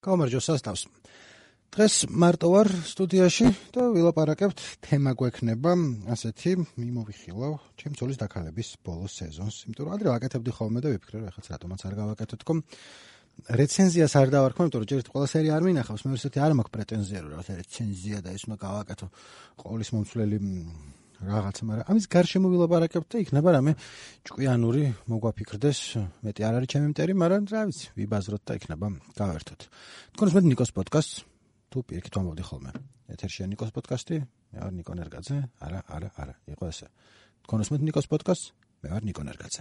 გამარჯოს სასტავს. დღეს მარტო ვარ სტუდიაში და ვილაპარაკებთ თემა გვექნება ასეთი მიმოვიხილავ ჩემი ცოლის დაქალების ბოლო სეზონს. იმიტომ რომ ადრე ვაკეთებდი ხოლმე და ვიფიქრე რომ ეხლა რატომაც არ გავაკეთო თქო. რეცენზიას არ დავარქვა, იმიტომ რომ ჯერ ყველა სერია არ მინახავს, მე ისეთი არ მაქვს პრეტენზია რომ რაღაცა რეცენზია და ის უნდა გავაკეთო ყოვლის მომცვლელი რაღაცა, მაგრამ ამის გარშემო ვილაპარაკებთ და იქნება რამე ჭკვიანური მოგვაფიქრდეს, მეტი არ არის ჩემი მტერი, მაგრამ რა ვიცი, ვიბაზროთ და იქნება გავერთოთ. თქვენს მე ნიკოს პოდკასტს თუ პირიქით ვამბობდი ხოლმე. ეთერშია ნიკოს პოდკასტი, მე ვარ ნიკო ნერგაძე. არა, იყო ესე. თქვენს მე ნიკოს პოდკასტს, მე ვარ ნიკო ნერგაძე.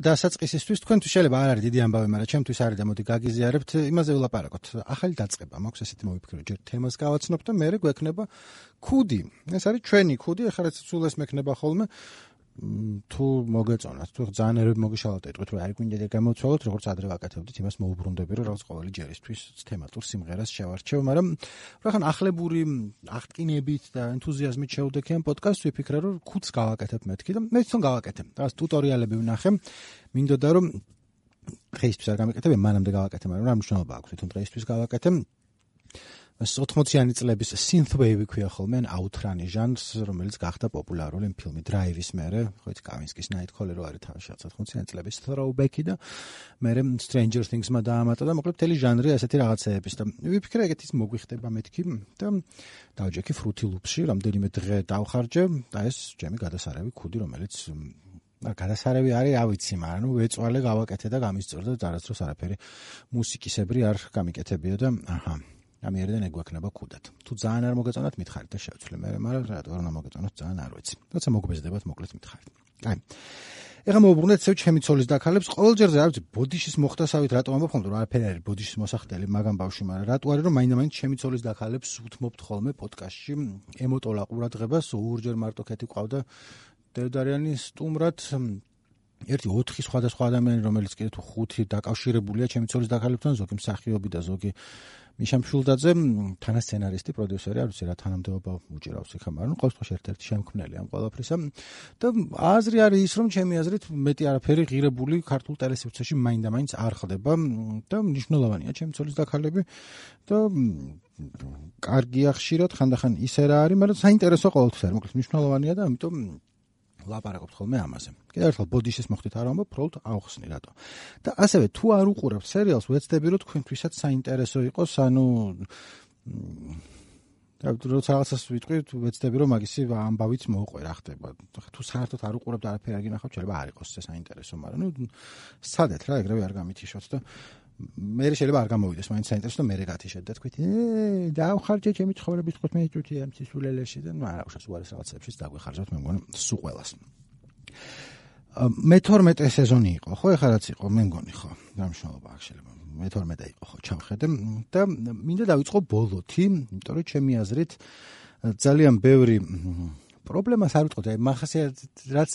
დასაწყისისთვის თქვენთვის შეიძლება არ არის დიდი ამბავი, მაგრამ ჩემთვის არის და მოდი გაგიზიარებთ, იმაზე ვილაპარაკოთ. ახალი დაწყება მაქვს, ესეთი მოვიფიქრო, ჯერ თემას გავაცნობ და მერე გვექნება ქუდი. ეს არის ჩვენი ქუდი, ახლა რაც სულ ეს მექნება ხოლმე. თუ მოგეწონათ, თუ ძალიან ერები მოგიშალოთ, ეტყვით რომ არ გვინდა გამოცვალოთ, როგორც ადრე ვაკეთებდით, იმას მოუბრუნდები, რომ რაღაც ყოველი ჯერისთვის თემატურ სიმღერას შევარჩევ, მაგრამ რახან ახლებური აღტკინებით და ენთუზიაზმით შევდექი ამ პოდკასტს, ვიფიქრე, რომ ქუდს გავაკეთებ მეთქი და მე თვითონ გავაკეთებ. რაღაც ტუტორიალები ვნახე, მინდოდა რომ დღეისთვის არ გამეკეთებ, მანამდე გავაკეთე, მაგრამ რა მნიშვნელობა აქვს, თვითონ დღეისთვის გავაკეთე. 80-იანი წლების synthwave ქვია ხოლმე, აუთრანი ჟანრს, რომელიც გახდა პოპულარული ფილმი Drive-ის მერე, ხო იცი კავინსკის Nightcrawler არის თავის 80-იანი წლების throwback-ი და მერე Stranger Things-მა დაამატა და მოკლედ მთელი ჟანრი ასეთი რაღაცეების და ვიფიქრე ეგეთის მოგვიხდება მეთქი და დავჯექი Fruity Loops-ში, რამდენიმე დღე დავხარჯე და ეს ჩემი გადასარევი ქუდი, რომელიც გადასარევი არის, რა ვიცი, მაგრამ ნუ ვეწვალე გავაკეთე და გამისწორდა და არასდროს არაფერი მუსიკისებრი არ გამიკეთებია და აჰა ამიერიდან ეგვექნება ქუდად. თუ ძალიან არ მოგეწონათ, მითხარით და შევცვლი მე, მაგრამ რატო არ უნდა მოგეწონოთ, ძალიან არ ვიცი. როცა მოგბეზდებათ, მოკლედ მითხარით. აი. ეხლა მოვუბრუნდეთ ისევ ჩემი ცოლის დაქალებს. ყოველჯერზე არ ვიცი, ბოდიშის მოხდასავით რატო ამბობ ხოლმე, რომ არაფერი არის ბოდიშის მოსახდელი მაგამ ბავშვი, მაგრამ რატო არის, რომ მაინდა-მაინც ჩემი ცოლის დაქალებს უთმობთ ხოლმე პოდკასტში ემოტოლა ყურადღებას, ორჯერ მარტო ქეთი ყავდა დევდარიანი სტუმრად ერთი 4 სხვადასხვა ადამიანი, რომელიც კიდე თუ 5 დაკავშირებულია ჩემი ცოლის დაქალებთან, ზოგი მსახიობი და ზოგი მიშა მშვილდაძე, თანასცენარისტი, პროდიუსერი, არ ვიცი რა თანამდებობა უჭირავს იქ, მაგრამ ყოველ შემთხვევაში ერთ-ერთი შემქმნელი ამ ყველაფრისა. და აზრი არის ის, რომ ჩემი აზრით მეტი არაფერი ღირებული ქართულ ტელესივრცეში მაინდა-მაინც არ ხდება და მნიშვნელოვანია ჩემი ცოლის დაქალები და კარგია ხშირად, ხანდახან ისე რა არის, მაგრამ საინტერესო ყოველთვის არის, მოკლედ მნიშვნელოვანია და ამიტომ ლაპარაკობთ ხოლმე ამაზე. კიდევ ერთხელ ბოდიშის მოხდით არ ვამბობ, პროლტ ავხსნი რატო. და ასევე თუ არ უყურებთ სერიალს, ვეცდები რომ თქვენთვისაც საინტერესო იყოს, ანუ როცა რაღაცას ვიტყვი, ვეცდები რომ მაგისი ამბავიც მოუყვე რა ხდება. თუ საერთოდ არ უყურებთ არაფერი არ გინახავთ, შეიძლება არ იყოს ეს საინტერესო, მაგრამ ნუ სცადეთ რა, ეგრევე არ გამითიშოთ და მე შეიძლება არ გამოვიდეს, მაინც საინტერესო და მე გათიშეთ და თქვით, დავხარჯე ჩემი ცხოვრების 15 წუთი ამ სისულელეში და ნუ არა, უშავს უარეს რაღაცებშიც დაგვეხარჯავთ, მე მგონი სულ ყველას. მე-12 სეზონი იყო, ხო, ეხლა რაც იყო, მე მგონი ხო, დამშნელობა აქ შეიძლება. მე-12 იყო, ხო, ჩავხედე და მინდა დავიწყო ბოლოთი, იმიტომ რომ ჩემი აზრით ძალიან ბევრი პრობლემას არ ვიტყოდი, აი მახასიათებლად რაც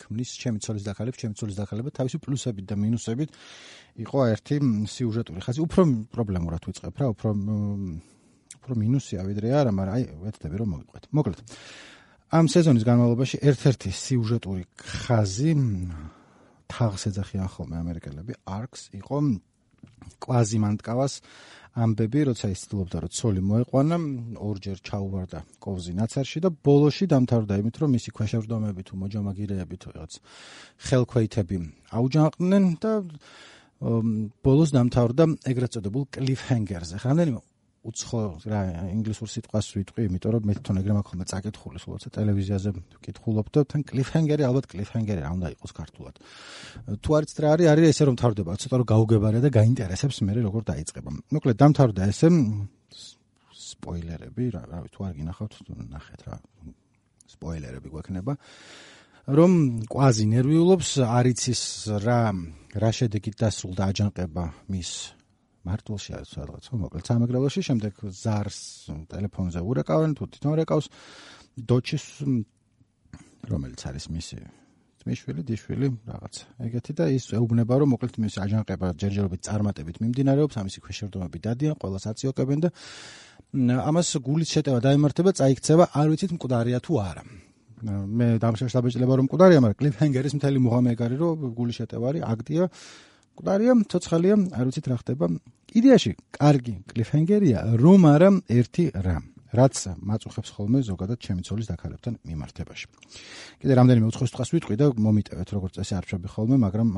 ქმნის ჩემი ცოლის დაქალება თავისი პლუსებით და მინუსებით იყო ერთი სიუჟეტური ხაზი, უფრო პრობლემურად ვიწყებ რა, უფრო მინუსია ვიდრე არა, მაგრამ აი ვეცდები რომ მოგიყვეთ. მოკლედ ამ სეზონის განმავლობაში ერთ-ერთი სიუჟეტური ხაზი თაღს ეძახიან ხოლმე ამერიკელები, arcs იყო კვაზიმანტკავას ამბები, როცა ის ცდილობდა რომ ცოლი მოეყვანა, ორჯერ ჩაუვარდა კოვზი ნაცარში და ბოლოში დამთავრდა იმით, რომ მისი ქვეშევრდომები თუ მოჯამაგირეები თუ რაღაც ხელქვეითები აუჯანყდნენ და ბოლოს დამთავრდა ეგრეთ წოდებულ cliffhanger-ზე. რამდენიმე უცხო რა ინგლისურ სიტყვას ვიტყვი, იმიტომ რომ მე თვითონ ეგრე მაქვს ხოლმე წაკითხული, სულაც ტელევიზიაზე ვკითხულობ და თან cliffhanger-ი, ალბათ cliffhanger-ი რა უნდა იყოს ქართულად. თუ არც რა არის ესე რომ თავდება, ცოტა რომ გაუგებარია და გაინტერესებს მე როგორ დაიწყება. მოკლედ დამთავრდა ესე სპოილერები, რავი, თუ არ გინახავთ, ნახეთ რა. სპოილერები გვექნება. რომ კვაზი ნერვიულობს, არ იცის რა შედეგით დასრულდა აჯანყება მის მარტვილში არის სადღაც, მოკლედ სამეგრელოში, შემდეგ ზარს ტელეფონზე ურეკავენ, თუ თვითონ რეკავს დოჩის, რომელიც არის მისი ძმისშვილი, დიშვილი, რაღაც ეგეთი და ის ეუბნება, რომ მოკლედ მის აჯანყება ჯერჯერობით წარმატებით მიმდინარეობს, ამისი ქვეშევრდომები დადიან, ყველას აციოკებენ და ამას გულის შეტევა დაემართება, წაიქცევა, არ ვიცით მკვდარია თუ არა. მე დამშევს დაბეჭდება რომ მკვდარია, მაგრამ კლიფჰენგერის მთელი მუღამი ეგ არის, რომ გულის შეტევა არის, აქტია, მკვდარია, ცოცხალია, არ ვიცით რა ხდება. იდეაში კარგი კლიფჰენგერია, რომ არა ერთი რამ, რაც მაწუხებს ხოლმე ზოგადად ჩემი ცოლის დაქალებთან მიმართებაში. კიდე რამდენიმე უცხოს თვალს ვიტყვი და მომიტევეთ, როგორც წესი არ ვშობი ხოლმე, მაგრამ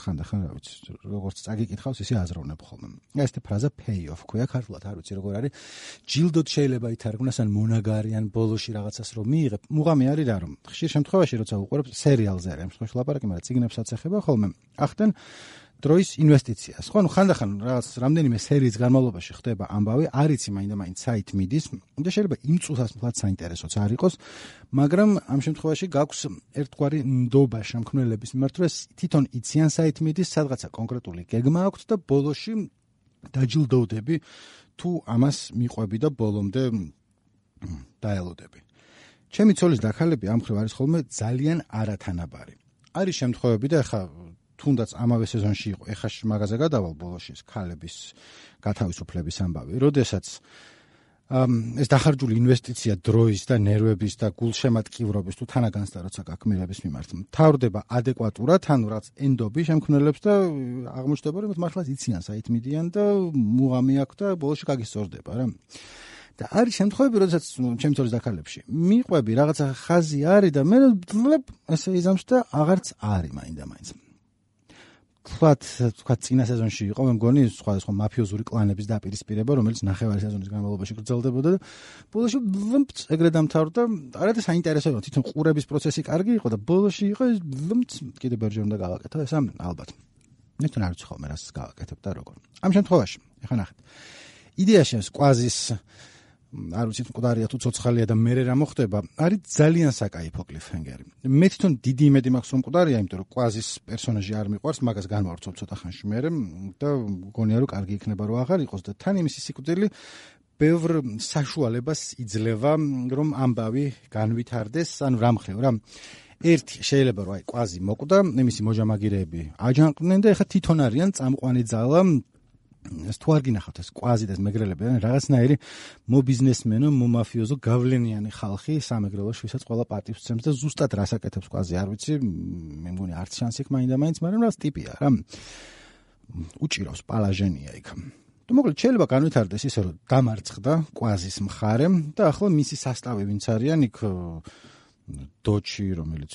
ხანდახან რა ვიცი, როგორც წაგიკითხავს, ისე აზროვნებ ხოლმე. ეს ფრაზა pay off ქვია ქართულად, არ ვიცი როგორ არის. ჯილდოდ შეიძლება ითარგმნას ან მონაგარი ან ბოლოში რაღაცას რომ მიიღებ. მუღამი არის რა რომ ხშირ შემთხვევაში როცა უყურებ სერიალზე არის, ამ შემთხვევაში ლაპარაკი, მაგრამ წიგნებსაც ეხება ხოლმე. ახდენ დროის ინვესტიციას. ხო, ხანდახან რაღაც რამდენიმე სერიის განმავლობაში ხდება ამბავი, არ იცი მაინდა-მაინც საით მიდის და შეიძლება იმ წუთას მთლად საინტერესოც არ იყოს, მაგრამ ამ შემთხვევაში გაქვს ერთგვარი ნდობა შემქმნელების მიმართ, რომ თვითონ იციან საით მიდის, სადღაცა კონკრეტული გეგმა აქვთ და ბოლოში დაჯილდოვდები თუ ამას მიყვები და ბოლომდე დაელოდები. ჩემი ცოლის დაქალები ამ ხრივ არის ხოლმე ძალიან არათანაბარი. არის შემთხვევები და ახლა თუნდაც ამავე სეზონში იყო, ეხლა მაგაზე გადავალ ბოლოში ქალების გათავისუფლების ამბავი, როდესაც ეს დახარჯული ინვესტიცია დროის და ნერვების და გულშემატკივრობის თუ თანაგანცდა როცა გაკმირების მიმართ მთავრდება ადეკვატურად, ანუ რაც ენდობი შემქმნელებს და აღმოჩნდება რომ მართლაც იციან საით მიდიან და მუღამი აქვს და ბოლოში გაგისწორდება რა. და არის შემთხვევები, როდესაც ჩემი ცოლის დაქალებში მიყვები რაღაცა ხაზი არის და მე ესე იზამს და აღარც არის მაინდა-მაინც. თქვა წინა სეზონში იყო, მე მგონი სხვადასხვა მაფიოზური კლანების დაპირისპირება, რომელიც ნახევარი სეზონის განმავლობაში გრძელდებოდა და ბოლოში ეგრე დამთავრდა. არა და საინტერესო იყო, თვითონ ყურების პროცესი კარგი იყო და ბოლოში იყო კიდე ბერჯერ უნდა გავაკეთო, ეს ალბათ. მე თან არ ვიცი ხოლმე რას გავაკეთებ და როგორ. ამ შემთხვევაში, ეხლა ნახეთ. იდეაში ეს კვაზის არ ვიცით მკვდარია თუ ცოცხალია და მე რა მოხდება, არის ძალიან საკაიფო კლიფჰენგერი. მე თვითონ დიდი იმედი მაქვს რომ მკვდარია, იმიტომ რომ კვაზის პერსონაჟი არ მიყვარს, მაგას განვავრცობ ცოტა ხანში მერე და მგონია რომ კარგი იქნება რომ აღარ იყოს და თან იმისი სიკვდილი ბევრ საშუალებას იძლევა რომ ამბავი განვითარდეს, ანუ რამხრივ რა. ერთი შეიძლება რომ აი კვაზი მოკვდა, იმისი მოჯამაგირეები აჯანყდნენ და ეხლა თვითონ არიან წამყვანი ძალა. ეს თუ არ გინახავთ ეს კვაზი და ეს მეგრელები ან რაღაცნაირი მობიზნესმენო, მომაფიოზო გავლენიანი ხალხი სამეგრელოში, ვისაც ყველა პატივს სცემს და ზუსტად რას აკეთებს კვაზი, არ ვიცი, მე მგონი არც შანსი იქ მაინდა-მაინც, მაგრამ რას ტიპია რა. უჭირავს პალაჟენია იქ. და მოკლედ შეიძლება განვითარდეს ისე რომ დამარცხდა კვაზის მხარე და ახლა მისი სასტავი ვინც არიან იქ დოჩი, რომელიც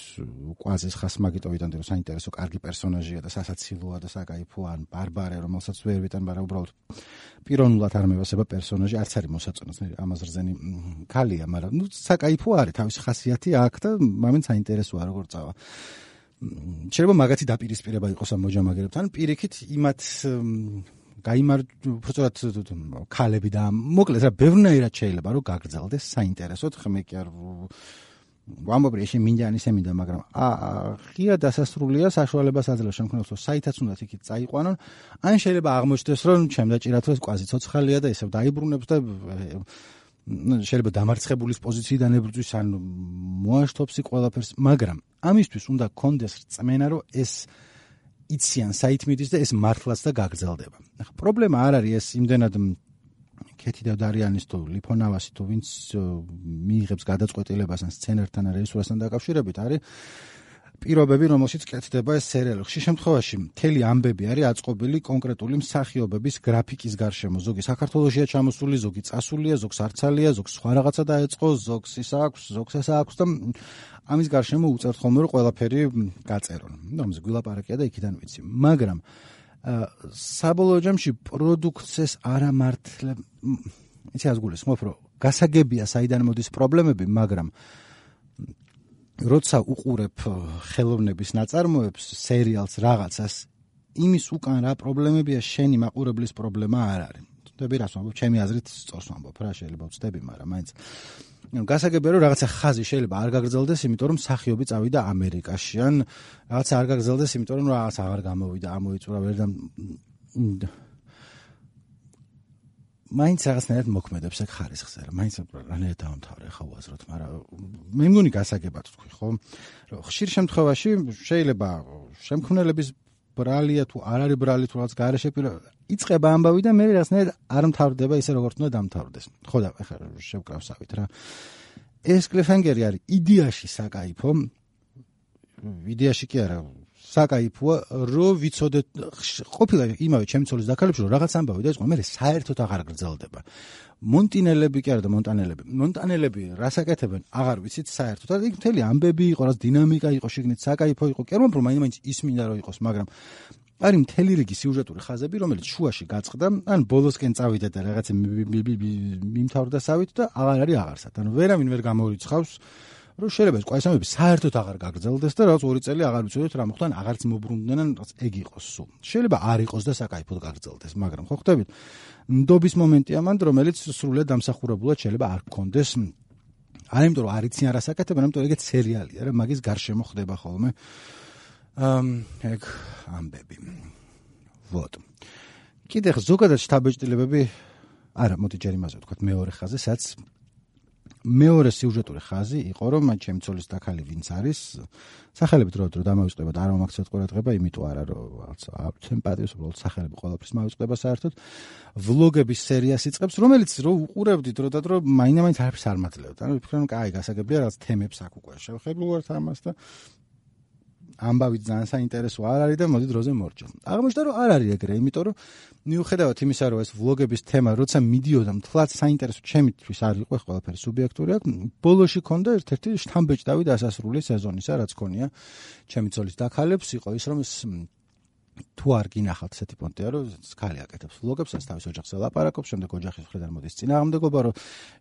კვაზის ხასმაგიტოვიდან და საინტერესო კარგი პერსონაჟია და სასაცილოა და საკაიფოა, ან ბარბარე, რომელსაც ვერ ვიტან, მაგრამ უბრალოდ პიროვნულად არ მევასება პერსონაჟი, არც არის მოსაწონოს, ამაზრზენი ქალია, მაგრამ საკაიფო არის, თავისი ხასიათი აქვს და მამენ საინტერესოა როგორ წავა. შეიძლება მაგათი დაპირისპირება იყოს ამ მოჯამაგერებთან, პირიქით იმათ უბრალოდ ქალები და მოკლედ რა ბევრნაირად შეიძლება რომ გაგრძელდეს საინტერესოდ, ხმე კი არ ვამბობ ისე მინდა ისე მინდა, მაგრამ ღია დასასრულია საშუალებას აძლევს შემქმნელს, რომ საითაც უნდა იქით წაიყვანონ, ან შეიძლება აღმოჩნდეს, რომ ჩემდაჭირათ ეს კვაზი ცოცხალია და ისევ დაიბრუნებს და შეიძლება დამარცხებულის პოზიციიდან ებრძვის, ან მოაშთობს ყველაფერს, მაგრამ ამისთვის უნდა კონდეს რწმენა, რომ ეს იციან საით მიდის და ეს მართლაც და გაგრძელდება. ახლა პრობლემა არ არის ეს იმდენად კეთი და დარიანის თუ ლიფონავასი თუ ვინც მიიღებს გადაწყვეტილებას ან სცენართან ან რეჟისორთან დაკავშირებით არის პირობები, რომელშიც კეთდება ეს სერიალი. ხშირ შემთხვევაში მთელი ამბები არის აწყობილი კონკრეტული მსახიობების გრაფიკის გარშემო. ზოგი საქართველოშია ჩამოსული, ზოგი წასულია, ზოგს არცალია, ზოგს სხვა რაღაცა დაეწყო, ზოგს ის აქვს, ზოგს ეს აქვს და ამის გარშემო უწერთ ხოლმე რომ ყველაფერი გაწერონ. ამაზე გვილაპარაკია და იქიდან ვიცი. მაგრამ საბოლოო ჯამში პროდუქციას არამართლებ იცი ას გულისხმობ რომ გასაგებია საიდან მოდის პრობლემები, მაგრამ როცა უყურებ ხელოვნების ნაწარმოებს, სერიალს, რაღაცას, იმის უკან რა პრობლემებია, შენი მაყურებლის პრობლემა არ არის. ვთები რას ვამბობ, ჩემი აზრით სწორს ვამბობ რა, შეიძლება ვწდები, მაგრამ მაინც გასაგებია რომ რაღაცა ხაზი შეიძლება არ გაგრძელდეს, იმიტომ რომ მსახიობი წავიდა ამერიკაში, ან რაღაცა არ გაგრძელდეს, იმიტომ რომ რაღაც აღარ გამოვიდა, ამოიწურა ვერ და მაინც რაღაცნაირად მოქმედებს ეგ ხარისხზე, რა მაინც რანაირად დავამთავრე ხა უაზროთ, მაგრამ მე მგონი გასაგებად თქვი, ხო? რომ ხშირ შემთხვევაში შეიძლება შემქმნელების ბრალია თუ არ არის ბრალი თუ რაღაც გარეშე იწყება ამბავი და მე რაღაცნაირად არ მთავრდება ისე როგორც უნდა დამთავრდეს. ხო და ეხლა შევკრავსავით რა. ეს კლიფჰენგერი არის იდეაში საკაიფო. იდეაში კი არა საკაიფოა, რომ ვიცოდეთ ყოფილა იმავე ჩემი ცოლის დაქალებში რომ რაღაც ამბავი და იყო მე საერთოდ აღარ გრძელდება. მონტინელები კი არა და მონტანელები რას აკეთებენ აღარ ვიცით საერთოდ. და იქ მთელი ამბები იყო, რაც დინამიკა იყო, შიგნით საკაიფო იყო. კი არ მომფრო მაინც ის მინდა რომ იყოს, მაგრამ არის მთელი რიგი სიუჟეტური ხაზები, რომელიც შუაში გაწყდა, ან ბოლოსკენ წავიდა და რაღაცა მიმთავრდა სავით და აღარ არის აღარსად. ანუ ვერავინ ვერ გამორიცხავს რომ შეიძლება ეს ყვაისამები საერთოდ აღარ გაგრძელდეს და რაღაც 2 წელი აღარ ვიცოდეთ რა მოხდა, აღარც მოbrunდნენ, ან რაღაც ეგ იყოს სულ. შეიძლება არ იყოს და საკაიფოდ გაგრძელდეს, მაგრამ ხო ხვდებით? ნდობის მომენტია მანდ, რომელიც სრულად დამსახურებულად შეიძლება არ გქონდეს. არა იმიტომ რომ არ იციან რას აკეთებენ, იმიტომ რომ ეგეც სერიალია რა, მაგის გარშემო ხდება ხოლმე. ეგ ამბები. ვოთ. კიდე ზოგადად შთაბეჭდილებები არა, მოდი ჯერ იმაზე ვთქვათ მეორე ხაზზე, სადაც მეორე სიუჟეტური ხაზი იყო, რომ ჩემი ცოლის დაქალი ვინც არის, სახელები დრო დამავიწყება და არ მომაქცევთ ყურადღება, იმიტომ არა რომ რაღაც სიმპათიის უბრალოდ სახელები ყველაფრის მავიწყდება საერთოდ. ვლოგების სერიას იწყებს, რომელიც რო უყურებდი დრო და დრო მაინც არაფერს არ მაძლევდა. ანუ ვფიქრობ, რომ კაი, გასაგებია რაღაც თემებს აქ უკვე შევხედულვართ ამას და ამბავი ძალიან საინტერესო არ არის და მოდი დროზე მორჩა. აღმოჩნდა რომ არ არის ეგრე, იმიტომ რომ მიუხედავად იმისა, რომ ეს ვლოგების თემა როცა მიდიოდა მთლად საინტერესო ჩემთვის არ იყო ყველაფერი სუბიექტური, ბოლოში ქონდა ერთ-ერთი შთამბეჭდავი დასასრული სეზონისა, რაც ქონია ჩემი ცოლის დაქალებს, იყო ის რომ თუ არ გინახავთ ესეთი პონტია, რომ ქალი აკეთებს ვლოგებს, რაც თავის ოჯახს ელაპარაკობს, შემდეგ ოჯახის მხრიდან მოდის წინააღმდეგობა, რომ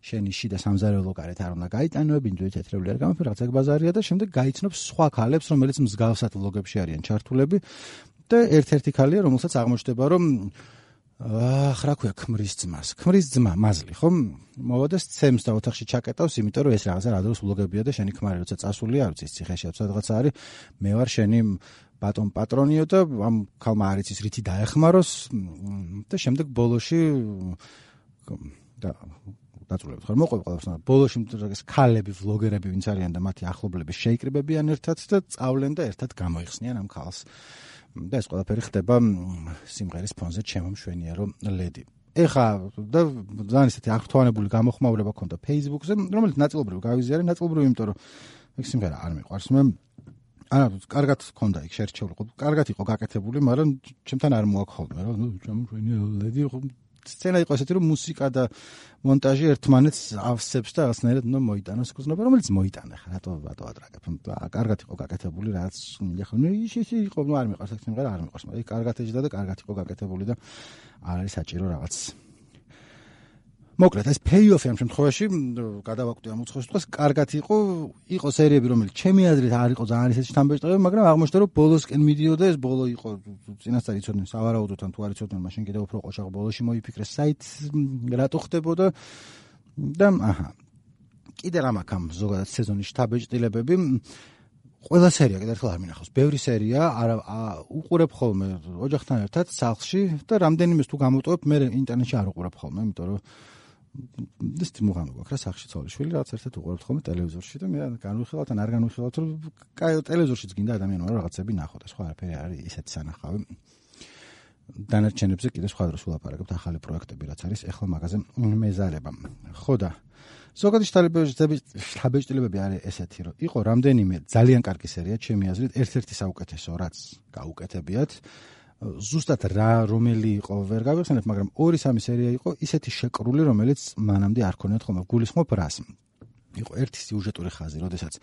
შენი შიდა სამზარეულო გარეთ არ უნდა გაიტანოები, ინდივიდუალური თეთრეული არ გამოფერა, რაღაც ეგ ბაზარია და შემდეგ გაიცნობს სხვა ქალებს, რომელიც მსგავსად ვლოგებში არიან ჩართულები და ერთ-ერთი ქალია, რომელსაც აღმოჩნდება, რომ რა ქვია, ქმრის ძმა, მაზლი, ხო? მოვა და სცემს და ოთახში ჩაკეტავს, იმიტომ რომ ეს რაღაცა რა დროს ვლოგებია და შენი ქმარი როცა წასული არ ვიცი, ციხეში რაღაცა არის, მე ვარ შენი ბატონ პატრონიო და ამ ქალმა არ იცის რითი დაეხმაროს და შემდეგ ბოლოში და დაწულებთ ხარ მოყვება ყველაფერს. ბოლოში ეს ქალები ვლოგერები ვინც არიან და მათი ახლობლები შეიკრიბებიან ერთად და წავლენ და ერთად გამოიხსნიან ამ ქალს. და ეს ყველაფერი ხდება სიმღერის ფონზე ჩემო მშვენიარო ლედი. ეხა და ძალიან ისეთი აღრთვანებული გამოხმაურება ქონდა Facebook-ზე, რომელიც ნაწილობრივ გავიზიარე, ნაწილობრივ იმიტომ რომ ეგ სიმღერა არ მიყვარს მე. არა, კარგად ქონდა იქ შერჩეული, კარგად იყო გაკეთებული, მაგრამ ჩემთან არ მოაქხოლმე რა, ჩემო მშვენიარო ლედი სცენა იყო ესეთი რომ მუსიკა და მონტაჟი ერთმანეთს ავსებს და რაღაცნაირად უნდა მოიტანოს გზნობა, რომელიც მოიტანე ხა რატო ადრაგებ. კარგად იყო გაკეთებული, რაც ეხლა ის იყო, არ მიყვარს ეს სიმღერა, არ მიყვარს, მაგრამ კარგად ეჯდა და კარგად იყო გაკეთებული და არ არის საჭირო რაღაც. მოკლედ ეს pay-off-ი ამ შემთხვევაში გადავაკვდი ამ უცხოს თქოს, კარგად იყო სერიები, რომელიც ჩემი აზრით არ იყო ძალიან ისეთი შთამბეჭდავი, მაგრამ აღმოჩნდა რომ ბოლოსკენ მიდიოდა ეს ბოლო იყო წინასწარ იცოდნენ სავარაუდოდ ან თუ არ იცოდნენ, მაშინ კიდევ უფრო ყოშაღ ბოლოში მოიფიქრეს საით რატო ხდებოდა და აჰა. კიდე რა მაქვს ამ ზოგადად სეზონის შთაბეჭდილებები. ყველა სერია კიდევ ერთხელ არ მინახავს. ბევრი სერია უყურებ ხოლმე ოჯახთან ერთად სახლში და რამდენიმეს თუ გამოვტოვებ, მე ინტერნეტში არ უყურებ ხოლმე, იმიტომ რომ ეს მუღამი გვაქვს რა სახლში ცოლიშვილი, რაღაც ერთად უყურებთ ხოლმე ტელევიზორში და მე განვიხილავთ ან არ განვიხილავთ, რომ კაი ტელევიზორშიც გინდა ადამიანმა რაღაცები ნახოთ, სხვა არაფერი არის ისეთი სანახავი. დანარჩენებზე კიდე სხვა დროს ვლაპარაკებთ ახალი პროექტები, რაც არის ეხლა მაგაზე მეზარება. ხო და ზოგადი შთაბეჭდილებები არის ესეთი, რომ იყო რამდენიმე ძალიან კარგი სერია, ჩემი აზრით, ერთ-ერთი საუკეთესო, რაც გაუკეთებიათ. ზუსტად რა რომელი იყო ვერ გავიხსენებ, მაგრამ 2-3 სერია იყო ისეთი შეკრული, რომელიც მანამდე არ ქონიათ ხოლმე. გულისხმობ რას? იყო ერთი სიუჟეტური ხაზი, როდესაც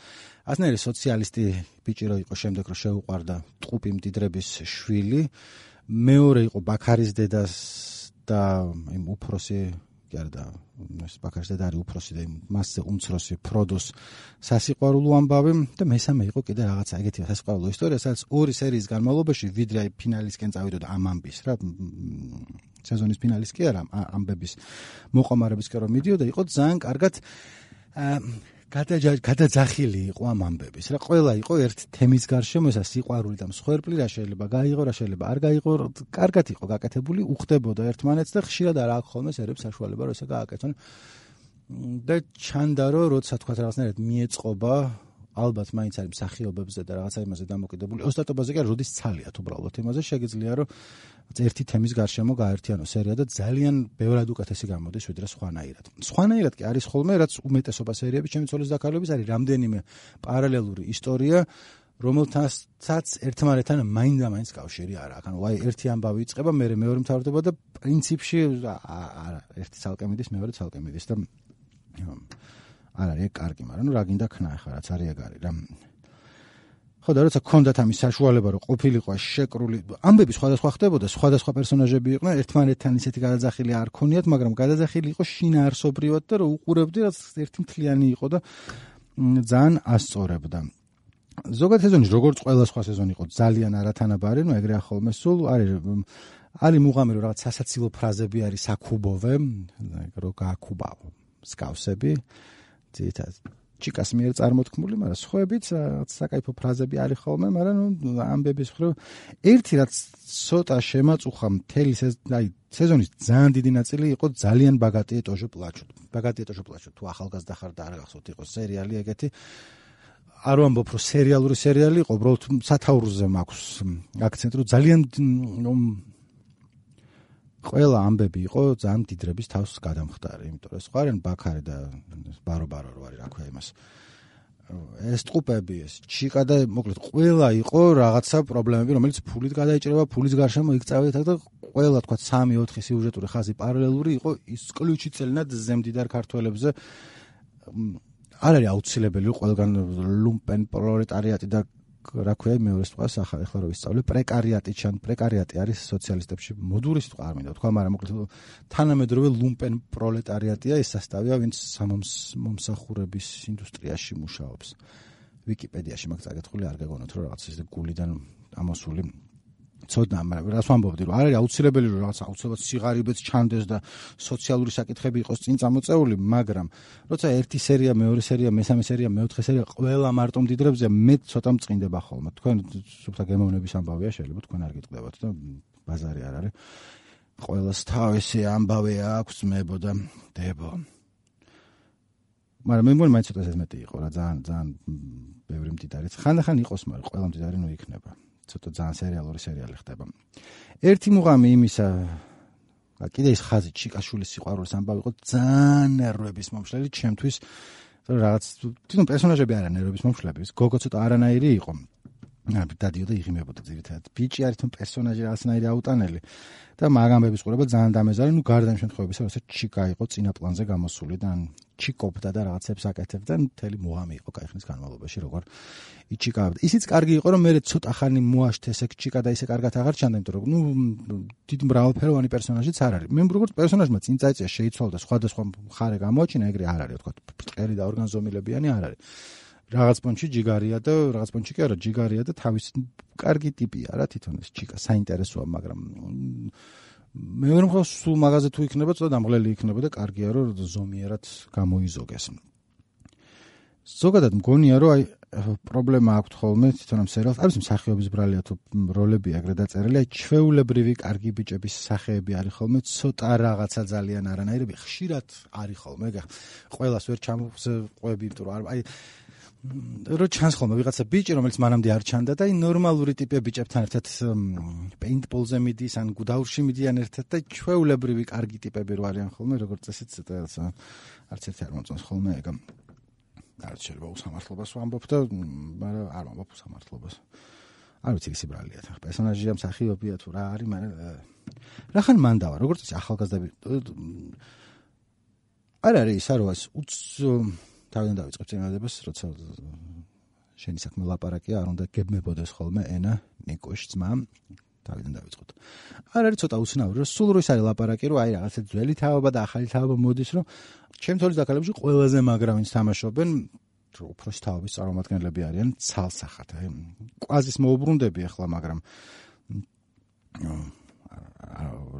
ასნაირი სოციალისტი ბიჭი რო იყო, შემდეგ რო შეუყვარდა ტყუპი მდიდრების შვილი, მეორე იყო ბაქარის დედას და იმ უფროსი კი არა და ეს ბაქარს და არის უფროსი და მასზე უმცროსი ფროდოს სასიყვარულო ამბავი და მესამე იყო კიდე რაღაცა ეგეთი სასიყვარულო ისტორია, სადაც ორი სერიის განმავლობაში ვიდრე აი ფინალისკენ წავიდოდა ამ ამბის რა სეზონის ფინალის კი არა ამბების მოყომარებისკენ რომ მიდიოდა იყო ძალიან კარგად გადაძახილი იყო ამ ამბების რა ყველა იყო ერთ თემის გარშემო ესა სიყვარული და მსხვერპლი რა შეიძლება გაიღო რა შეიძლება არ გაიღო კარგად იყო გაკეთებული უხდებოდა ერთმანეთს და ხშირად არ აქვს ხოლმე სერებს საშუალება რომ ესა გააკეთონ და ჩანდა რომ როცა თქვა რაღაცნაირად მიეწყობა ალბათ მაინც არის მსახიობებზე და რაღაცა იმაზე დამოკიდებული ოსტატობაზე კი არა როდის ცალიათ უბრალოდ იმაზე შეგიძლია რომ ერთი თემის გარშემო გაერთიანო სერია და ძალიან ბევრად უკეთესი გამოდის ვიდრე სხვანაირად. სხვანაირად კი არის ხოლმე რაც უმეტესობა სერიების ჩემი ცოლის დაქალების არის რამდენიმე პარალელური ისტორია რომელთანაც ერთმანეთთან მაინდა-მაინც კავშირი არ აქვს. ანუ აი ერთი ამბავი იწყება, მეორე მთავრდება და პრინციპში არა ერთი ცალკე მიდის, მეორე ცალკე მიდის და არ არის კარგი, მაგრამ რა გინდა ქნა ახლა რაც არის ეგ არის რა. ხო და როცა გქონდათ ამის საშუალება რომ ყოფილიყო შეკრული ამბები სხვადასხვა ხდებოდა, სხვადასხვა პერსონაჟები იყვნენ, ერთმანეთთან ისეთი გადაძახილი არ ქონიათ, მაგრამ გადაძახილი იყო შინაარსობრივად და რომ უყურებდი რაც ერთი მთლიანი იყო და ძალიან ასწორებდა. ზოგადად სეზონის როგორც ყველა სხვა სეზონი იყო ძალიან არათანაბარი, ნუ ეგრე ახოლმე სულ არის მუღამი რომ რაღაც სასაცილო ფრაზები არის საკუბოვე, რომ გააკუბავ სკავსები, ძირითადად ჩიკას მიერ წარმოთქმული, მაგრამ სხვაებიც საკაიფო ფრაზები არის ხოლმე, მაგრამ ნუ ამბების მხრივ ერთი რაც ცოტა შემაწუხა მთელი სეზონის ძალიან დიდი ნაწილი იყო ძალიან ბაგატი ეტოჟო პლაჩო. ბაგატი ეტოჟო პლაჩო თუ ახალგაზრდა ხარ და არ გახსოვთ იყო სერიალი ეგეთი არ ვამბობ რომ სერიალური სერიალი იყო, უბრალოდ სათაურზე მაქვს აქცენტი, რომ ძალიან ყველა ამბები იყო ძალიან დიდრების თავს გადამხდარი, იმიტომ რომ სხვა არიან ბაქარი და ბარო რო არის, რა ქვია იმას. ეს ტყუპები, ეს ჩიკა და მოკლედ ყველა იყო რაღაცა პრობლემები, რომელიც ფულით გადაიჭრება, ფულის გარშემო იქ წავედით და ყველა თქვა 3-4 სიუჟეტური ხაზი პარალელური იყო ისკლუჩიცელნად ზემდიდარ ქართველებზე. არ არის აუცილებელი ყველგან ლუმპენ პროლეტარიატი და რა ქვია მეორე სიტყვა ახლა რო ვისწავლე პრეკარიატი არის სოციალისტებში მოდური სიტყვა არ მინდა თქვა მაგრამ მოკლედ თანამედროვე ლუმპენ პროლეტარიატია ეს სასტავია ვინც მომსახურების ინდუსტრიაში მუშაობს ვიკიპედიაში მაგ წაკითხული არ გეგონოთ რომ რაღაც ისე გულიდან ამოსული ცოდნა მაგრამ რას ვამბობდი რომ არ არის აუცილებელი რომ რაღაც აუცილებლად სიღარიბეც ჩანდეს და სოციალური საკითხები იყოს წინ წამოწეული მაგრამ როცა ერთი სერია მეორე სერია მესამე სერია მეოთხე სერია ყველა მარტო მდიდრებზე მე ცოტა მწყინდება ხოლმე თქვენ სუფთა გემოვნების ამბავია შეიძლება თქვენ არ გიტყდებათ და ბაზარი არ არის ყველას თავისი ამბავი აქვს მებო და დებო მაგრამ მე მგონი მაინც ცოტა ეს მეტი იყო რა ძალიან ბევრი მდიდარიც ხანდახან იყოს მაგრამ ყველა მდიდარი ნუ იქნება ცოტა ძალიან სერიალური სერიალი ხდება. ერთი მუღამი იმისა, კიდე ის ხაზი ჩიკაშვილის სიყვარულის ამბავი იყო ძალიან ნერვების მომშლელი ჩემთვის, რომ რაღაც თვითონ პერსონაჟები არა ნერვების მომშლები, გოგო ცოტა არანაირი იყო. დადიოდა იღიმებოდა ძირითადად. ბიჭი არის თვითონ პერსონაჟი რაღაცნაირი აუტანელი და მაგ ამბების ყურება ძალიან დამეზარი, ნუ გარდა იმ შემთხვევებისა, როცა ჩიკა იყო წინა პლანზე გამოსული და ჩიკობდა და რაღაცებს აკეთებდა, მთელი მუღამი იყო კაი ხნის განმავლობაში, როგორ იჩიკავდა. ისიც კარგი იყო, რომ მე ცოტა ხანი მოაშთ ესე ჩიკა და ისე კარგად აღარ ჩანდა, იმიტომ რომ ნუ დიდი მრავალფეროვანი პერსონაჟიც არ არის. მე როგორც პერსონაჟმა წინ წაიწია შეიცვალა და სხვადასხვა მხარე გამოაჩინა, ეგრე არ არის, თქვა, ბრტყელი და ორგანზომილებიანი არ არის. რაღაც პონჩი ჯიგარია და რაღაც პონჩი კი არა, ჯიგარია და თავის კარგი ტიპია რა თვითონ ეს ჩიკა, საინტერესოა, მაგრამ მეორე მხრივ სულ მაღაზე თუ იქნება, ცოტა დამღლელი იქნება და კარგია რომ ზომიერად გამოიზოგეს. ზოგადად მგონია რომ აი პრობლემა აქვს ხოლმე თვითონ ამ სერიალს, არის მსახიობის ბრალია თუ როლები ეგრე დაწერილი, აი ჩვეულებრივი კარგი ბიჭების სახეები არის ხოლმე, ცოტა რაღაცა ძალიან არანაირები, ხშირად არის ხოლმე, ყველას ვერ ჩამოყვები, იმიტომ რომ აი რო ჩანს ხოლმე ვიღაცა ბიჭი, რომელიც მანამდე არ ჩანდა და აი ნორმალური ტიპი ბიჭებთან ერთად პეინტბოლზე მიდის, ან გუდაურში მიდიან ერთად და ჩვეულებრივი კარგი ტიპები რო არიან ხოლმე, როგორც წესით არც ერთი არ მომწონს ხოლმე ეგ. არ შეიძლება უსამართლობას ვამბობ და მაგრამ არ ვამბობ უსამართლობას. არ ვიცი ის ბრალია თან პერსონაჟია მსახიობია თუ რა არის, მაგრამ რახან მანდავა, როგორც წესი ახალგაზრდები არ არის ისა რომ თავიდან დავიწყებ წინადადებას, როცა შენი საქმე ლაპარაკია, არ უნდა გებმებოდეს ხოლმე ენა ნიკოშ ძმა. თავიდან დავიწყოთ. არ არის ცოტა უცნაური, რომ სულ რო ის არის ლაპარაკი, რომ აი რაღაცა ძველი თაობა და ახალი თაობა მოდის, რომ ჩემ თოლის დაკალებში ყველაზე მაგრა ვინც თამაშობენ, უფროსი თაობის წარმომადგენლები არიან ცალსახად. კვაზის მოუბრუნდები ახლა, მაგრამ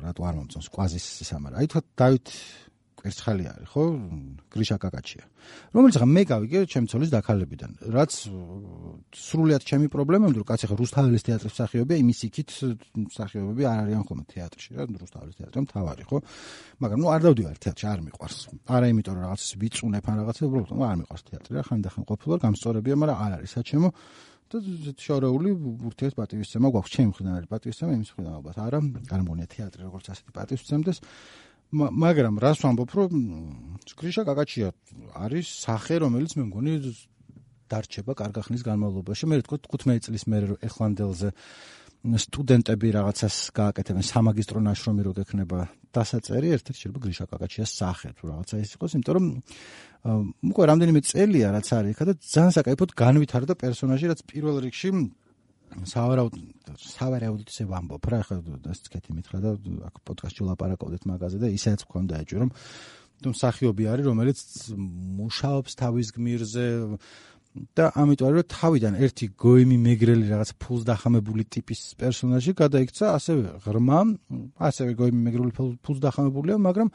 რატო არ მომწონს კვაზის ისამარა. აი თქვა დავით კვერცხალი არის, ხო? გრიშა კაკაჩია. რომელიც ხა მე გავიგე ჩემ ცოლის დაკალებიდან. რაც სრულიად ჩემი პრობლემა, რომ კაცი ხა რუსთაველის თეატრის მსახიობია, იმის იქით მსახიობები არ არიან ხოლმე თეატრში, რა რუსთაველის თეატრი მთავარი, ხო? მაგრამ არ დავდივარ თეატრში, არ მიყვარს. არა იმიტომ რომ რაღაც ვიწუნებ ან რაღაცა, უბრალოდ არ მიყვარს თეატრი რა, ხანდახან ყოფილვარ, გამსწორებია, მაგრამ არ არის საჩემო. და შორეული ურთიერთ პატივისცემა გვაქვს, ჩემი მხრიდან არის პატივისცემა, იმის მხრიდან ალბათ არა, არ მგონია თეატრი როგორც ასეთი პატივისცემდეს. მაგრამ რას ვამბობ, რომ გრიშა კაკაჩია არის სახე, რომელიც მე მგონი დარჩება კარგი ხნის განმავლობაში. მე ვთქვი 15 წლის მერე რომ ეხლანდელზე სტუდენტები რაღაცას გააკეთებენ, სამაგისტრო ნაშრომი რო გექნება დასაწერი, ერთ-ერთი შეიძლება გრიშა კაკაჩიას სახე თუ რაღაცა ის იყოს, იმიტომ რომ უკვე რამდენიმე წელია რაც არის იქა და ძალიან საკაიფოდ განვითარდა პერსონაჟი, რაც პირველ რიგში სავარაუდოდ ისე ვამბობ რა, ხა დასწკეთი მითხრა და აქ პოდკასტში ვლაპარაკობდით მაგაზე და ისეც მქონდა ეჭვი, რომ მსახიობი არის, რომელიც მუშაობს თავის გმირზე და ამიტომ რომ თავიდან ერთი გოიმი მეგრელი რაღაც ფულს დახამებული ტიპის პერსონაჟი გადაიქცა ასევე ღრმა, ასევე გოიმი მეგრელი ფულს დახამებულია, მაგრამ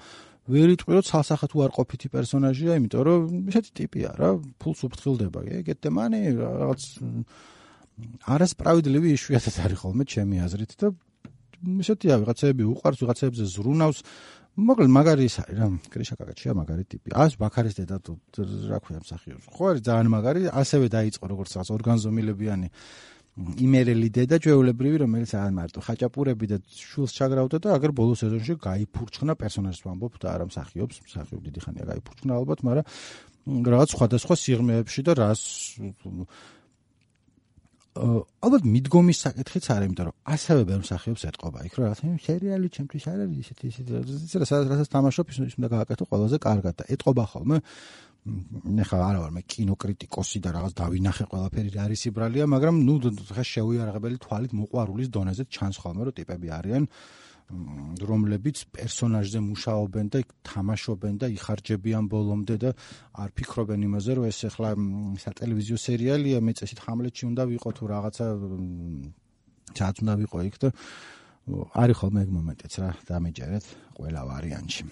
ვერ იტყვი რომ ცალსახად უარყოფითი პერსონაჟია, იმიტომ რომ ესეთი ტიპია რა, ფულს უფრთხილდება, გეტემანი რაღაც არასправედливი იშვიათად არის ხოლმე ჩემი აზრით და ესეთია ვიღაცები უყარს, ვიღაცებზე ზრუნავს. მოკლედ მაგარი ის არის რა, გრიშა კაკაჩია მაგარი ტიპი. ბაქარის დედა თუ რა ქვია მსახიობს. ხო არის ძალიან მაგარი, ასევე დაიწყო როგორც რაღაც ორგანზომილებიანი იმერელი დედა ჩვეულებრივი, რომელიც არ მარტო ხაჭაპურები და შულს ჩაგრავდა და აგერ ბოლო სეზონში გაიფურჩხნა პერსონაჟს ვამბობ და არა მსახიობს, მსახიობ დიდი ხანია გაიფურჩხნა ალბათ, მაგრამ რაღაც სხვადასხვა სიღრმეებში და რას ალბათ მიდგომის საკითხიც არის, იმიტომ რომ ასევე ბევრ მსახიობს ეტყობა იქ, რომ რაღაცა სერიალი ჩემთვის არ არის ისეთი რასაც თამაშობ ის უნდა გააკეთო ყველაზე კარგად და ეტყობა ხოლმე. ნახა არა ვარ მე კინოკრიტიკოსი და რაღაც დავინახე ყველაფერი რა არის იბრალია, მაგრამ ნუ ხა შეუიარაღებელი თვალით მოყვარულის დონეზე ჩანს ხოლმე რომ ტიპები არიან რომლებიც პერსონაჟზე მუშაობენ და თამაშობენ და იხარჯებიან ბოლომდე და არ ფიქრობენ იმაზე, რომ ეს ახლა სატელევიზიო სერიალია, მე წესით ჰამლეტში უნდა ვიყო თუ რაღაცა ჩაც უნდა ვიყო იქ და არის ხოლმე ეგ მომენტიც რა, დამეჯერეთ ყველა ვარიანტში.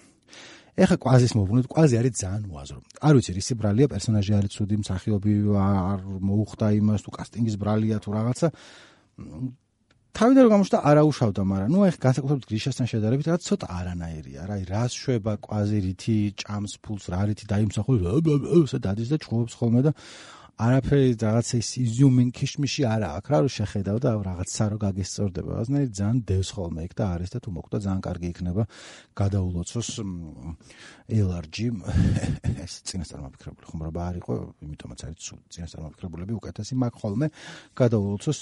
ეხა კვაზის მოუბრუნდით, კვაზი არის ძალიან უაზრო. არ ვიცი, რის ბრალია პერსონაჟი არის ცუდი, მსახიობი არ მოუხდა იმას თუ კასტინგის ბრალია თუ რაღაცა. თავიდან რომ გამოჩნდა არაუშავდა, მაგრამ ნუ ეხა განსაკუთრებით გრიშასთან შედარებით რაღაც ცოტა არანაირია რა, რას შვება კვაზი, რითი ჭამს ფულს, რა რითი დაიმსახურება, ესე დადის და ჭხობს ხოლმე და არაფერი რაღაცა ის იზიუმენ ქიშმიში არა აქვს რა, რომ შეხედავ და რაღაცა რო გაგესწორდება. ასნაირად ძალიან დევს ხოლმე იქ და არის და თუ მოკვდა ძალიან კარგი იქნება გადაულოცოს LRG ეს წინასწარმაფიქრებული ხუმრობა არ იყო, იმიტომაც არის წინასწარმაფიქრებულები უკეთესი მაგ ხოლმე გადაულოცოს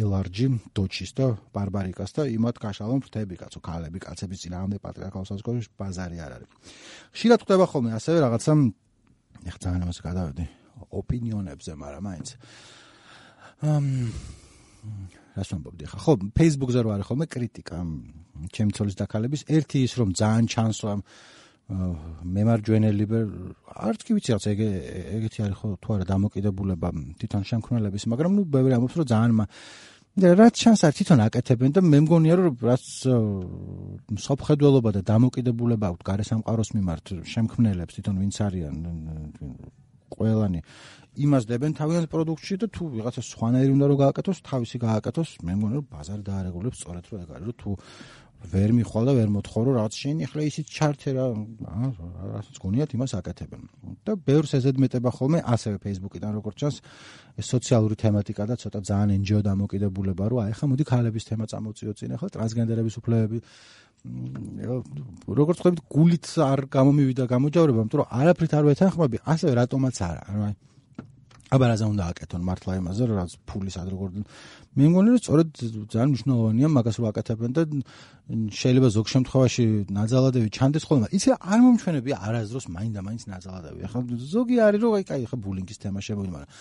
LRG დოჩის და ბარბარიკას და იმათ გაშალონ ფრთები კაცო, ქალები, კაცების წინააღმდეგ პატრიარქალ საზოგადოებაში ბაზარი არ არის. ხშირად ხდება ხოლმე ასევე რაღაცა ეხლა ძალიან ამას გადავედი ოპინიონებზე, მაგრამ მაინც რას ვამბობდი ხა? ხო, Facebook-ზე რო არის ხოლმე კრიტიკა ჩემი ცოლის დაკალების, ერთი ის რომ ძალიან ჩანს რომ მემარჯვენელი არც კი ვიცი რაღაც ეგეთი არის ხო თუ არა დამოკიდებულება თვითონ შემქმნელების, მაგრამ ნუ ბევრი ამბობს რომ ძალიან რაც ჩანს არ თვითონ აკეთებენ და მე მგონია რომ რაც მსოფლმხედველობა და დამოკიდებულება აქვს გარესამყაროს მიმართ შემქმნელებს თვითონ ვინც არიან ყველანი იმას დებენ თავიანთ პროდუქტში და თუ ვიღაცა სხვანაირი უნდა რომ გააკეთოს, თავისი გააკეთოს, მე მგონი რომ ბაზარი დაარეგულებს სწორედ რომ ეგ არის, რომ თუ ვერ მიხვალ და ვერ მოთხოვ რომ რაღაც შენი ახლა ისიც ჩართე რა, რასაც გონიათ იმას აკეთებენ. და ბევრს ეზედმეტება ხოლმე ასევე Facebook-იდან როგორც ჩანს ეს სოციალური თემატიკა და ცოტა ძალიან NGO დამოკიდებულება, რომ აი ხა მოდი ქალების თემა წამოვწიო წინ, ახლა ტრანსგენდერების უფლებები როგორც ხვდებით გულით არ გამომივიდა გამოჯავრება, იმიტომ რომ არაფრით არ ვეთანხმები, ასევე რატომაც არა, რა. აბა რაზე უნდა აკეთონ მართლა იმაზე, რომ რაც ფულის ad როგორ მე მგონი რომ სწორედ ძალიან მნიშვნელოვანია მაგას რომ აკეთებენ და შეიძლება ზოგ შემთხვევაში ნაძალადები ჩანდეს ხოლმე. იცი არ მომჩვენებია არასდროს მაინდა-მაინც ნაძალადები. ახლა ზოგი არის რომ აი ხა ბულინგის თემა შემოვიდა, მაგრამ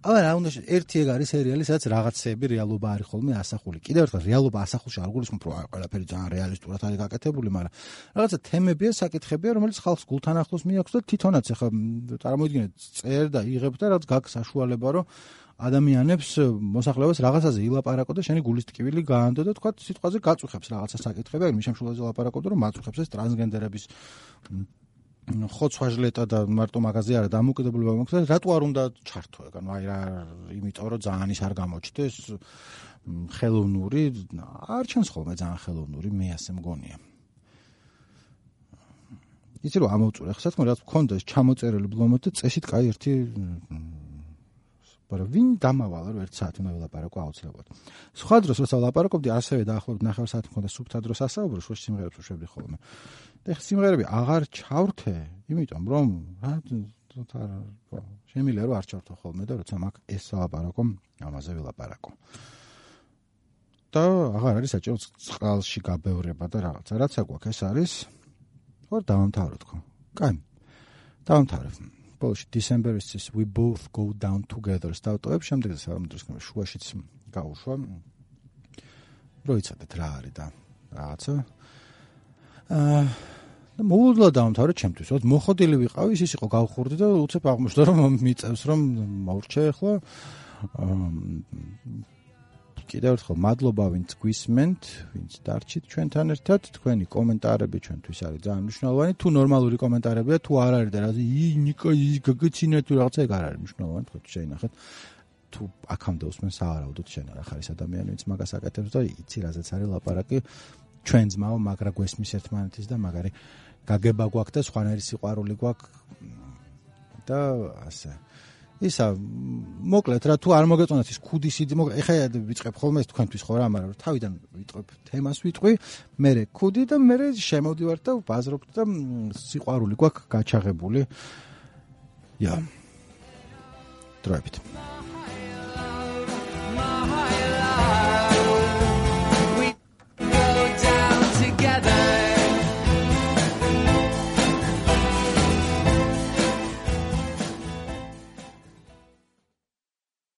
აბა რა უნდა ერთი ეგ არის სერიალი, სადაც რაღაცეები რეალობა არის ხოლმე ასახული. კიდევ ერთხელ რეალობა ასახულში არ გულისხმობ, რომ ყველაფერი ძალიან რეალისტურად არის გაკეთებული, მაგრამ რაღაცა თემებია, საკითხებია, რომელიც ხალხს გულთან ახლოს მიაქვს და თვითონაც ახლა წარმოიდგინეთ, წერ და იღებ და რაღაც გაქვს საშუალება, რომ ადამიანებს მოსახლეობას რაღაცაზე ილაპარაკო და შენი გულის ტკივილი გაანდო და თქვა სიტყვაზე გაწუხებს რაღაცა საკითხები, აი მის შემშულაზე ლაპარაკობ, რომ მაწუხებს ეს ტრანსგენდერების ხოცვა-ჟლეტა და მარტო მაგაზე არა დამოუკიდებლობა მოქცე, რატო არ უნდა ჩართო ეგ, აი რა, იმიტომ რომ ძალიან ის არ გამოჩნდეს ხელოვნური, არ ჩანს ხოლმე ძალიან ხელოვნური, მე ასე მგონია. იცი რომ ამოვწურე, ხა საქმე რაც მქონდა ჩამოწერილი ბლომად და წესით კაი ერთი მაგრამ ვინ დამავალა რომ 1 საათი უნდა ვილაპარაკო აუცილებლად. სხვა დროს როცა ვლაპარაკობდი, ასევე დაახლოებით 9 საათი მქონდა სუფთა დროს ასაუბრო, სხვა სიმღერებს ვშვებდი ხოლმე. და ეხლა სიმღერები აღარ ჩავრთე, იმიტომ რომ შემიძლია რომ არ ჩავრთო ხოლმე და როცა მაგ ეს ვლაპარაკო, ამაზე ვილაპარაკო. და აღარ არის საჭირო წყალში გაბევრება და რაღაცა. რაცა გვაქვს ეს არის. ხო, დავამთავროთ ხო? კაი. დავამთავრებ. ბოლოში December-ის We Both Go Down Together სტავტოებ, შემდეგ სამდროს შუაშიც გავუშვა. როიცადეთ რა არის და რაღაცა. და მოულოდნელად დავამთავრე ჩემთვის, რომ მოხოდილი ვიყავი, ის იყო გავხურდი და უცებ აღმოჩნდა რომ მიწევს რომ მოვრჩე ახლა. კიდევ ერთხელ მადლობა ვინც გვისმენთ, ვინც დარჩით ჩვენთან ერთად, თქვენი კომენტარები ჩვენთვის არის ძალიან მნიშვნელოვანი. თუ ნორმალური კომენტარებია, თუ არ არის და რა ნიკა გაგეცინა თუ რაღაცა ეგ არ არის მნიშვნელოვანი, თქვენ შეინახეთ. თუ აქამდე უსმენს სავარაუდოდ შენ არ ხარ ეს ადამიანი, ვინც მაგას აკეთებს და იცი რაზეც არის ლაპარაკი. ჩვენ ძმაო, მაგრა გვესმის ერთმანეთის და მაგარი გაგება გვაქვს და სხვანაირი სიყვარული გვაქვს და ასე. ისა მოკლედ რა თუ არ მოგეწონათ ის ქუდის იდეა, ეხლა ვიწყებ ხოლმე ეს თქვენთვის ხო რა, მაგრამ თავიდან ვიტყვებ თემას ვიტყვი, მე ქუდი და მე შემოვდივარ და ვბაზრობ და სიყვარული გვაქვს გაჩაღებული. დროებით.